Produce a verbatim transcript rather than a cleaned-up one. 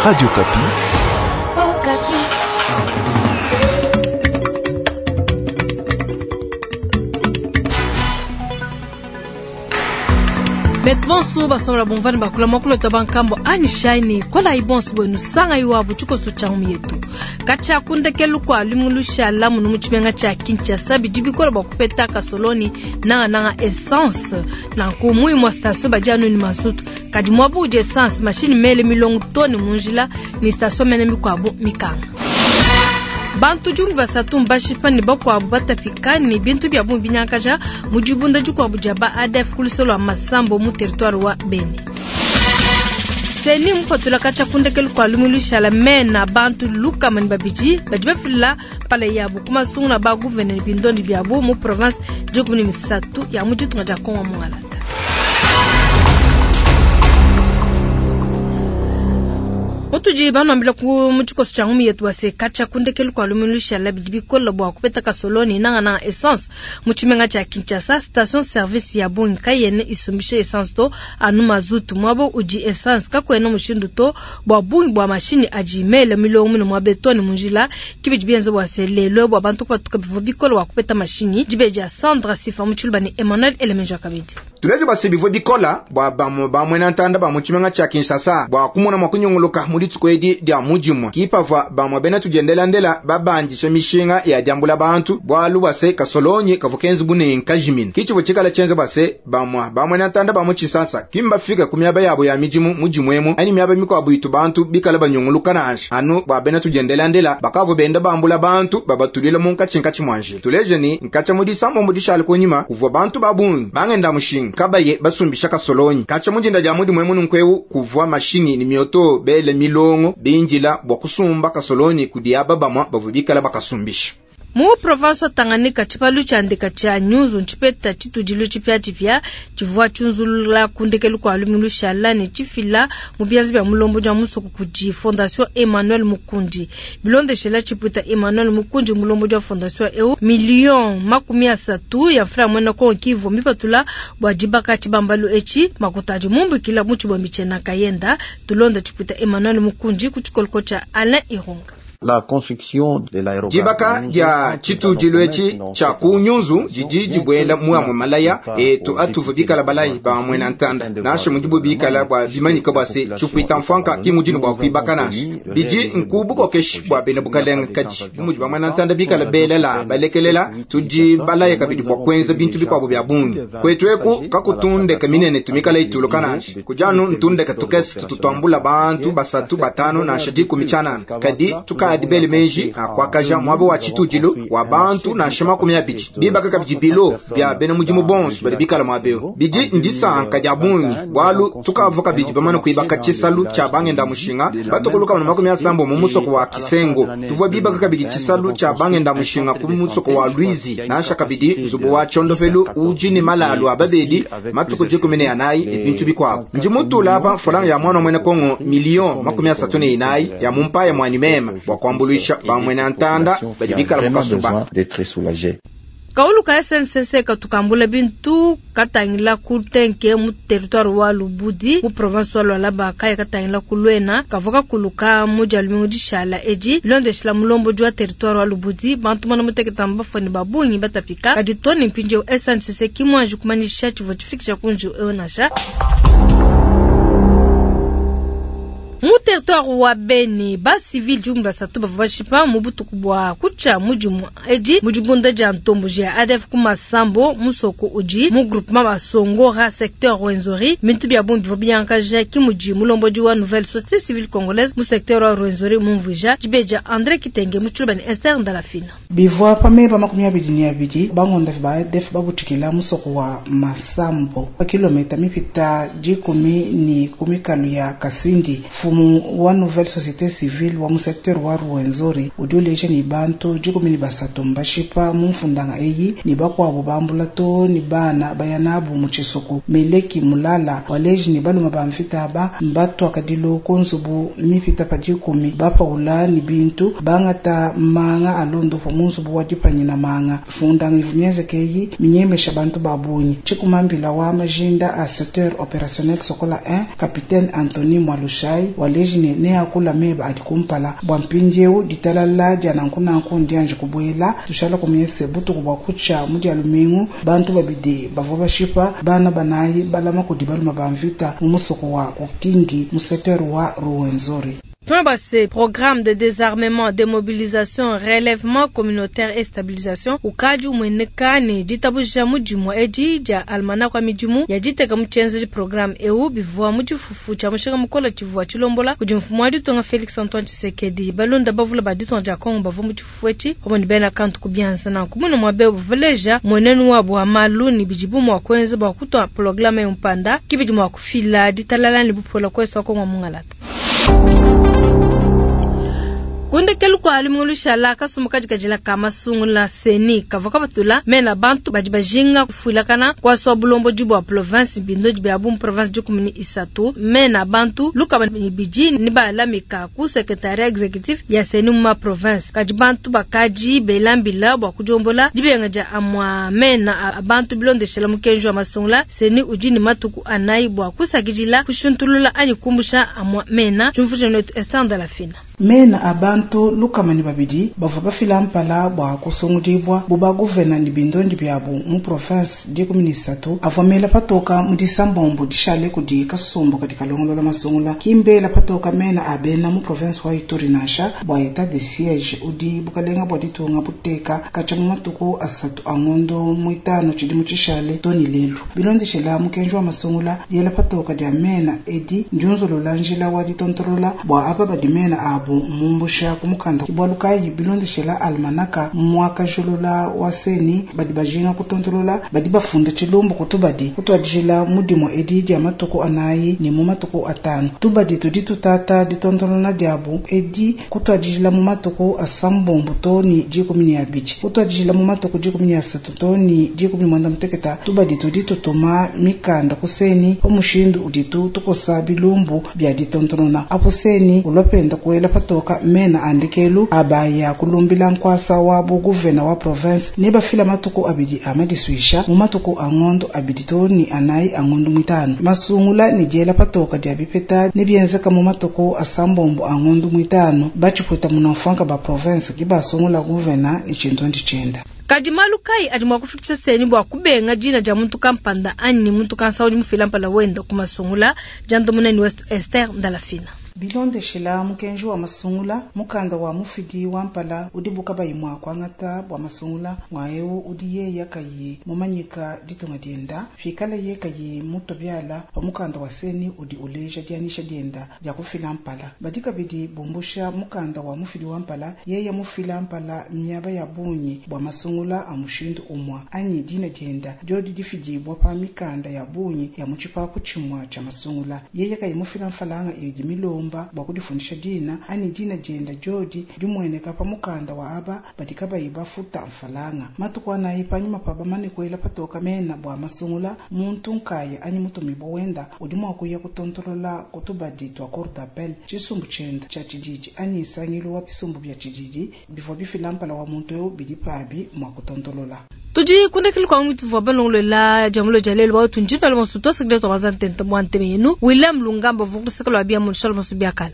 Radio Okapi. Oh, Betu bonso basobola bomvani bakula mwakulota bankambo ani shaini kola ibonso bwenu sanga iwabu tshikoso tshia ngumi yetu katshia kundekelu kua lumingu lushala munu mu tshimenga tshia Kinshasa bidi bikola bua kupeta kasoloni nangananga essence nanku mu imua station badi anu ni mazutu kadi muaba udi essence mashini mele milongo to ne mu njila ni station mene mikuabu mikanga bantu dikumi basatu mbashipa ne bakuabu batapika ne bintu bia bungi binyangakaja mu dibunda dikuabu dia ba A D F ku luseke lua Masambo mu territoire wa Beni. CENI mupatula katshia kundekelu kua lumingu lushala mena bantu lukama ne babidi badi bafila mpala yabu ku masungula ba gouverneur ne bindondi biabu mu province dikumi ne misatu ya mu ditunga dia Kongo mungalata. Mutudi banuambila ku mu tshikoso tshia ngumi yetu wase katshia kundekelu kua lumingu lushala bidi bikola bua kupeta kasoloni nangananga essence mu tshimenga tshia Kinshasa. Station service ya bungi kayene isumbisha essence to anu mazutu. Muaba udi essence kakuena mushindu to bua bungi bua mashini adi mele milongo mine mua betoni mu njila kibidi bienza bua se lelo bua bantu kupatuka bivua bikola bua kupeta mashini. Dibeji ya Sandra Sifa mu Tshiluba ne Emmanuel Elemenja kabidi. Tuleje base bivua bikola bua bamue bamwena ntanda ba mu tshimenga tshia Kinshasa bua kumona mua kunyunguluka mu dituku edi dia mudimua kipavua bamue bena tudiendelandela babandisha mishinga ya diambula bantu bualu bua se kasolonyi kavua kenza bu ne nkajimina kitshivua tshikala tshienza bua se bamue bamwena ntanda ba mu Tshisasa kimbafika ku miaba yabo ya midimu mudimu emu anyi miaba mikuabu itu bantu bikala banyunguluka nansha anu bua bena tudiendelandela bakavua benda bambula bantu babatulila munkatshinkatshi mua njila. Tuleje ni nkatshia mu disambombo dishala kunyima kuvua bantu ba bungi bangenda mushinga kabaye basumbisha kasolonyi. Katshia mudinda dia mudimu emu nunkuewu kuvua mashinyi ni mioto bele milongo binjila bua kusumba kasolonyi kudi aba bamua bavua bikala bakasumbisha. Mu province wa Tanganyika tshipalu tshia ndeka tshia Nyunzu ntshipeta tshitudilu tshipiatshipia tshivua tshiunzulula kundekelu kua lumingu lushala ne tshifila mu bianza bia mulombodi wa musoko kudi Fondation Emmanuel Mukundi. Bilondeshela tshipuita Emmanuel Mukundi mulombodi wa fondation eu million makumi asatu ya franc mwena Kongo kivu mipatula bua dibaka tshibambalu etshi makuta adi mumbukila mu tshibombi tshiena kayenda. Tulonda tshipuita Emmanuel Mukundi ku tshikoloko tshia Alain Irunga. La construction de l'aérogare Dibaka dia tshitudilu etshi tshia ku Nyunzu didi dibuela muamue malaya etu atuvu bikala balayi ba muena ntanda nansha mudibu bikala bua bimanyika bua se tshipuita mfuanka ki mudinu bua kuibaka nansha bidi nku bukokeshi bua bena bukalenga kadi bu mudi ba muena ntanda bikala belela balekelela tudi balaya kabidi bua kuenza bintu bikuabu bia bungi kwetu eku kakutundeka minene tumikala ituluka nansha kujanu ntundeka tukese tutuambula bantu basatu batano nansha dikumi tshianana kadi tukadi bele meji akwakaja muaba wa tshitudilu wa bantu nansha makumi abidi bibaka kabidi bilo bia bena mudimu bonso badi bikala muaba bidi ndisanka dia bungi bualu tukavua kabidi bamane kuibaka tshisalu tshia bangenda mushinga batokoluka na makumi asambo mu musoko wa Kisengo. Tuvua bibaka kabidi tshisalu tshia bangenda mushinga ku musoko wa Luizi nansha kabidi nzubu wa tshondovelu udi ne malalu a babedi matuku dikumi ne anayi ne bintu bikuabu. Ndi mutula apa folanga ya mwana mwene Kongo million makumi asatu ne inayi ya mumpaya mwani mema bua kuambuluisha bamwena ntanda badi bikala mu kasuba. D'être soulagé. Kaulu ka S N C C katukambula bintu katangila ku tenke mu territoire wa Lubudi mu province wa Lualaba kaya katangila ku Luena kavua kakuluka mu dia lumingu dishala edi. Bilondeshela mulombodi wa territoire wa Lubudi bantu mana muteketa mbafone ba bungi batapika kadi to ne mpindieu S N C C kimwanji kumanyisha tshivua tshifikisha ku njiwu eu nansha. Mu territoire wa Beni ba civil dikumi basatu bavua bashipa mu butuku bua kutshia mudimu edi mu dibunda dia ntomboji ya A D F ku Masambo musoko udi mu groupement Basongora secteur Rwenzori. Bintu bia bungi bivua binyangakaja ki mudi mulombodi wa nouvelle société civile congolaise mu secteur wa Rwenzori mumvuija. Dibeja André Kitenge mu Tshiluba ne Esther Ndalafina. Bivua pa meba makumi abidi ne abidi bangonda ba A D F babutukila musoko wa Masambo pa kilomita mipita dikumi ni kumikalu ya Kasindi. Mfumu wa nouvelle société civile wa mu secteur wa Ruwenzori udi uleja ni bantu dikumi ni basatu mbashipa mu mfundanga eyi ni bakuabu bambula to ni bana baya nabu mu tshisuku. Meleki Mulala waleji ni baluma ba mvita aba mbatwakadilu ku nzubu mipita pa dikumi bapaula ni bintu bangata manga alondopo mu nzubu wa dipanyina manga. Fundanga ivu mienzeke eyi minyemesha bantu ba bungi. Tshikumambila wa majinda a secteur opérationnel Sokola un capitaine Anthony Mwalushai. Waleji ne neakula meba adi kumpala bua mpindieu ditalala dia nankunanku ndianji kubuela tushala kumyese butuku bua kucha mu dia lumingu bantu babidi bavua bashipa bana banayi balama kudi baluma ba mvita mu musoko wa Kukingi mu secteur wa Ruwenzori. Tunabase programme de désarmement, démobilisation, relèvement communautaire et stabilisation ukadi umweneka ne ditabuja mudimu edi dia almanach wa midimu ya diteka mu tshienzedi programme eu bivua mu tshifufu tshia mushinga mukole tshivua tshilombola kudi mfumu wa ditunga Felix Antoine Tshisekedi. Balunda bavula ba ditunga dia Kongo bavua mu tshifufu etshi pamue ne bena kantu ku bianza nanku muno muabe bavaleja mwenenu wabu wa malu ne bidibu mua kuenza bua kutua programme eu mpanda kibidi mua kufila ditalala ne bupola kuesu wa Kongo mungalata. Kundekelu kwa lumingu lushala kasumbu kajikajila ka masungula seni kavua kabatula mena bantu badi bajinga kufuilakana kwaswa bulombo dibua province bindo bia bu province dikumi ni isatu mena bantu lukaba ni bidi ni balamika ku secretariat executif ya seni mu province kadi bantu bakaji belambila bua kudiombola dibenga dia amwa mena abantu bilondeshela mukenji wa masungula seni udi ni matuku anayi bua kusakidila kushuntulula anyi kumbusha amwa mena jumfuje netu Esther la fina. Mena abantu lukamani babidi bavua bafila mpala bua kusungudibwa buba guvena ni bindondi byabu mu province dikumi ni isatu avua mela patoka mu disambombo dishale kudi kasumbu kadi kalongolola masungula kimbela patoka mena abena mu province wa Ituri nansha bua etat de siège udi bukalenga bua ditunga buteka kacha mu matuku asatu angondo muitano tshidimu tshishale toni lelu bilondeshela mukenji wa masungula diela patoka dia mena edi ndiunzulula njila wa ditontolola bua aba badi mena abu mumbusha kumukanda bwalukayi bilondeshela almanaka mwakajulula wa seni badi bajinga kutontolola badi bafunda tshilumbu kutubadi kutwadijila mudimu edi dia matuku anayi ni mu matuku atanu tubadi tudi tutata ditontolola diabu edi kutwadijila mu matuku asambombo toni dikumi ni abidi kutwadijila mu matuku dikumi ni asatu toni dikumi ni mwanda muteketa tubadi tudi tutuma mikanda kuseni pamushindu uditu tukosa bilumbu bya ditontolola apo seni ulopenda kuela patoka mena andikelu abaya kulumbila nkwasa wa buguvena wa province ne bafila matuku abidi amadiswisha mu matuku angondo abidi toni anayi angondo mwitano masungula ni diela patoka dia bipeta ne bienzeka mu matuku asambombo angondo mwitano bachiputa munamfanka ba province kibasungula guvena ni chindondi chenda. Kadi malu kai adi mua kufikisha seni bua kubenga dina dia muntu kampanda anyi muntu kansa udi mufila mpala wenda kumasungula jando munene West Esther Ndalafina. Bilondeshela mukenji wa masungula mukanda wa mufidi wa mpala udi bukabayi mwa kwangata bua masungula mwaewu udi yeya kayi mumanyika ditunga dienda fikala ye kayi mutobyala pa mukanda wa seni udi uleja dianisha dienda dia kufila mpala badi kabidi bumbusha mukanda wa mufidi wa mpala yeya mufila mpala miaba ya bunyi bua masungula a mushindu umwa anyi dina dienda diodi difidibwa pa mikanda ya bunyi ya mutshipapu tshimwa tsha masungula yeya kayi mufila mfalanga idi milomba bua kudifundisha dina ani dina dienda diodi dimweneka pa mukanda wa aba badi kabayi bafuta mfalanga matuku anayi panyima pa bamane kuela patoka mena bua masungula muntu nkaya anyi mutumibwa wenda udi mua kuya kutontolola kutubadi tua cour d'appel tshisumbu tshienda tshia tshididi anyi nsangilu wa bisumbu bia tshididi bivua bifila mpala wa muntu eu bidi pabi mua kutontolola. Tudi kundekele kwa mwitu vwa balongolola jamulo jalelo wa tunjina lo musuto sekreto wazantenta bwa ntemenu William Lungamba vukusekelo abia mu shalom subiakala.